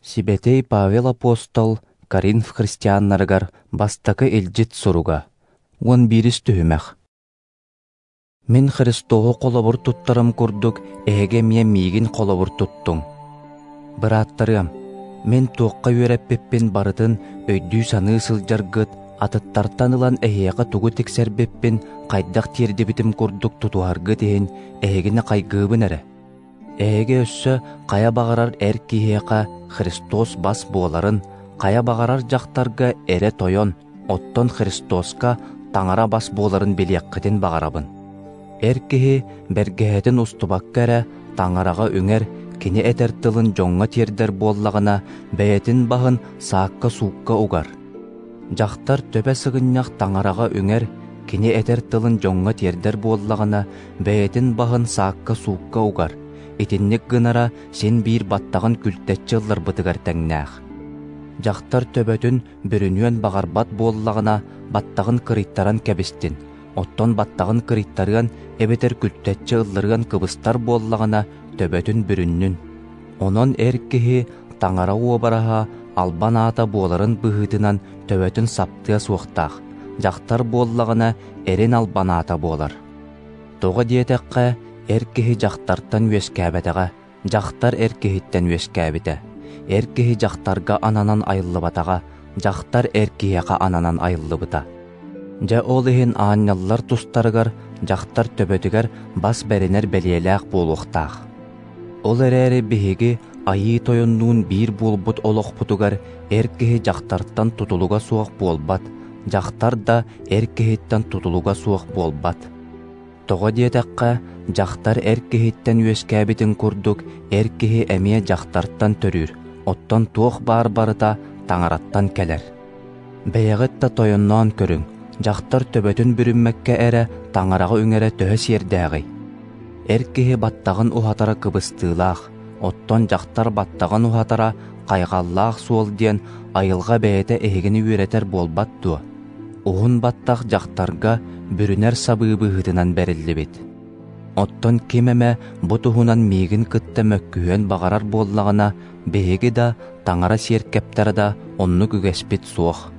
Сибэтиэй Павел апостол Коринф христианнарыгар бастакы илдьит суруга, 11-ис түһүмэх. Мин Христоһу холобур туттарым курдук эһиги эмиэ миигин холобур туттуҥ. Бырааттарыам, мин туохха үөрэппиппин барытын өйдүү-саныы сылдьаргыт, атыттартан ылан эһиэхэ тугу тиксэрбиппин хайдах тиэрдибитим курдук тутуһаргыт иһин эһигини хайгыыбын эрэ. Эһиги өссө хайа баҕарар эр киһиэхэ Христос бас буоларын, хайа баҕарар дьахтарга эрэ тойон, оттон Христоска Таҥара бас буоларын билиэххитин баҕарабын. Эр киһи бэргэһэтин устубакка эрэ Таҥараҕа үҥэр, кини этэр тылын дьоҥҥо тиэрдэр буоллаҕына, бэйэтин баһын саакка-суукка угар. Дьахтар төбө сыгынньах Таҥараҕа үҥэр, кини этэр тылын дьоҥҥо тиэрдэр буоллаҕына, бэйэтин баһын саакка-суукка угар. Итинник гынара син биир баттаҕын күлтэччи ылларбытыгар тэҥнээх. Дьахтар төбөтүн бүрүнүөн баҕарбат буоллаҕына, баттаҕын кырыйтаран кэбистин, оттон баттаҕын кырыйтарыан эбэтэр күлтэччи ылларыан кыбыстар буоллаҕына, төбөтүн бүрүннүн. Онон эр киһи Таҥара уобараһа албан аата буоларын быһыытынан төбөтүн саптыа суохтаах, дьахтар буоллаҕына эрин албан аата буолар. Тоҕо диэтэххэ, эр киһи дьахтартан үөскээбэтэҕэ, дьахтар эр киһиттэн үөскээбитэ. Эр киһи дьахтарга ананан айыллыбатаҕа, дьахтар эр киһиэхэ ананан айыллыбыта. Дьэ ол иһин аанньаллар тустарыгар дьахтар төбөтүгэр бас бэринэр бэлиэлээх буолуохтаах. Ол эрээри биһиги Айыы Тойоннуун биир буолбут олохпутугар эр киһи дьахтартан тутулуга суох буолбат, дьахтар да эр киһиттэн тутулуга суох буолбат. Тоҕо диэтэххэ, дьахтар эр киһиттэн үөскээбитин курдук эр киһи эмиэ дьахтартан төрүүр, оттон туох баар барыта Таҥараттан кэлэр. Бэйэҕит да тойонноон көрүҥ, дьахтар төбөтүн бүрүммэккэ эрэ Таҥараҕа үҥэрэ төһө сиэрдээҕий? Эр киһи баттаҕын уһатара кыбыстыылаах, оттон дьахтар баттаҕын уһатара хайҕаллаах суол диэн айылҕа бэйэтэ эһигини үөрэтэр буолбат дуо? Уһун баттах дьахтарга бүрүнэр сабыы быһыытынан бэриллибит. Оттон ким эмэ бу туһунан миигин кытта мөккүһүөн баҕарар буоллаҕына, биһиги да, Таҥара сиэркэптэрэ да оннук үгэспит суох.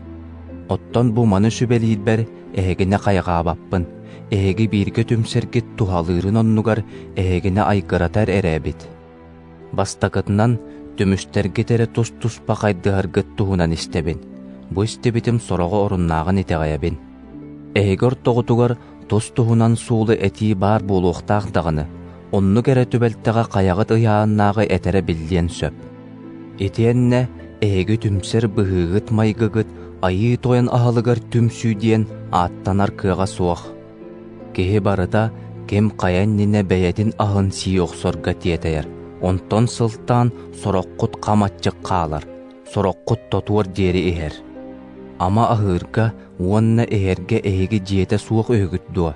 Оттон бу маны сүбэлиирбэр эһигини хайҕаабаппын, эһиги бииргэ түмсэргит туһалыырын оннугар эһигини айгыратар эрэ эбит. Бастакытынан, түмүстэргит эрэ тус-туспа хайдыһаргыт туһунан истэбин. Бу истибитим сороҕо оруннааҕын итэҕэйэбин. Эһиги ортоҕутугар тус-туһунан суолу этии баар буолуохтаах даҕаны, оннук эрэ түбэлтэҕэ хайаҕыт ыйааннааҕы этэрэ биллиэн сөп. Итиэннэ эһиги түмсэр быһыыгыт-майгыгыт Айыы Тойон аһылыгар түмсүү диэн ааттанар кыаҕа суох. Киһи барыта ким хайа иннинэ бэйэтин аһын сии охсорго тиэтэйэр, онтон сылтаан сороххут хам аччык хаалар, сороххут тотуор диэри иһэр. Ама аһыырга уонна иһэргэ эһиги дьиэтэ суох үһүгүт дуо?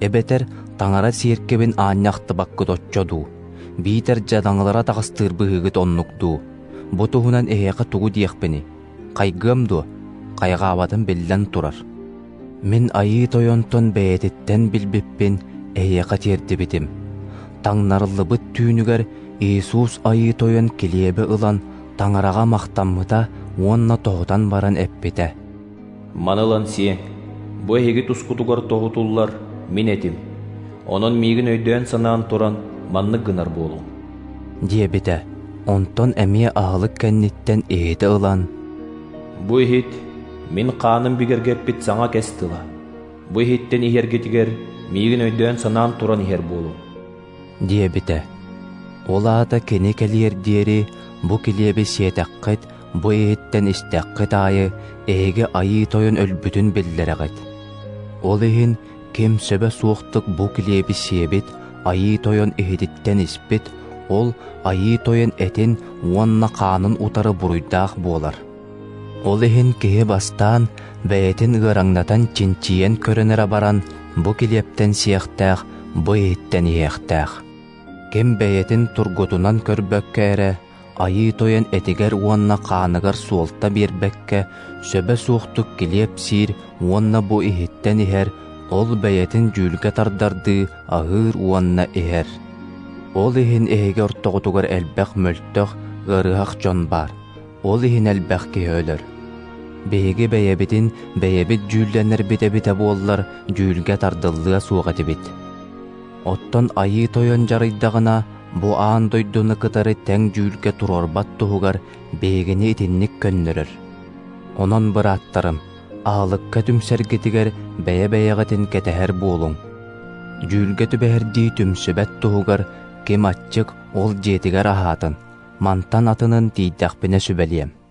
Эбэтэр Таҥара сиэркэбин аанньа ахтыбаккыт оччо дуу? Биитэр дьадаҥылара таҕыстыыр быһыыгыт оннук дуу? Бу туһунан эһиэхэ тугу диэхпиний? Хайгыам дуо? Хайҕаабатым биллэн турар. Мин Айыы Тойонтон бэйэтиттэн билбиппин эһиэхэ тиэрдибитим. Таҥнарыллыбыт түүнүгэр Иисус Айыы Тойон килиэби ылан Таҥараҕа махтаммыта уонна тоһутан баран эппитэ: «Маны ылан сиэҥ, бу эһиги тускутугар тоһутуллар мин этим. Онон миигин өйдөөн-санаан туран маннык гынар буолуҥ» диэбитэ. Онтон эмиэ аһылык кэнниттэн иһити ылан: «Бу иһит мин хааным бигэргэппит саҥа кэс тыла. Бу иһиттэн иһэргитигэр миигин өйдөөн-санаан туран иһэр буолуҥ» диэбитэ. Ол аата кини кэлиэр диэри бу килиэби сиэтэххит, бу иһиттэн истэххит аайы эһиги Айыы Тойон өлбүтүн биллэрэҕит. Ол иһин ким сөбө суохтук бу килиэби сиэбит, Айыы Тойон иһититтэн испит, ол Айыы Тойон этин уонна хаанын утары буруйдаах буолар. Ол иһин киһи бастаан бэйэтин ыараҥнатан чинчийэн көрөн эрэ баран, бу килиэптэн сиэхтээх, бу иһиттэн иһиэхтээх. Ким бэйэтин тургутунан көрбөккө эрэ, Айыы Тойон этигэр уонна хааныгар суолта биэрбэккэ, сөбө суохтук килиэп сиир уонна бу иһиттэн иһэр, ол бэйэтин дьүүлгэ тардардыы аһыыр уонна иһэр. Ол иһин эһиги ортоҕутугар элбэх мөлтөх, ыарыһах дьон баар. Ол иһин элбэх киһи өлөр. Биһиги бэйэбитин бэйэбит дьүүллэнэрбит эбитэ буоллар, дьүүлгэ тардыллыа суох этибит. Оттон Айыы Тойон дьарыйдаҕына, бу аан дойдуну кытары тэҥ дьүүлгэ туруорбат туһугар биһигини итинник көннөрөр. Онон, бырааттарым, аһылыкка түмсэргитигэр бэйэ-бэйэҕитин кэтэһэр буолуҥ. Дьүүлгэ түбэһэрдии түмсүбэт туһугар ким аччык, ол дьиэтигэр аһаатын, мантан атынын тиийдэхпинэ сүбэлиэм.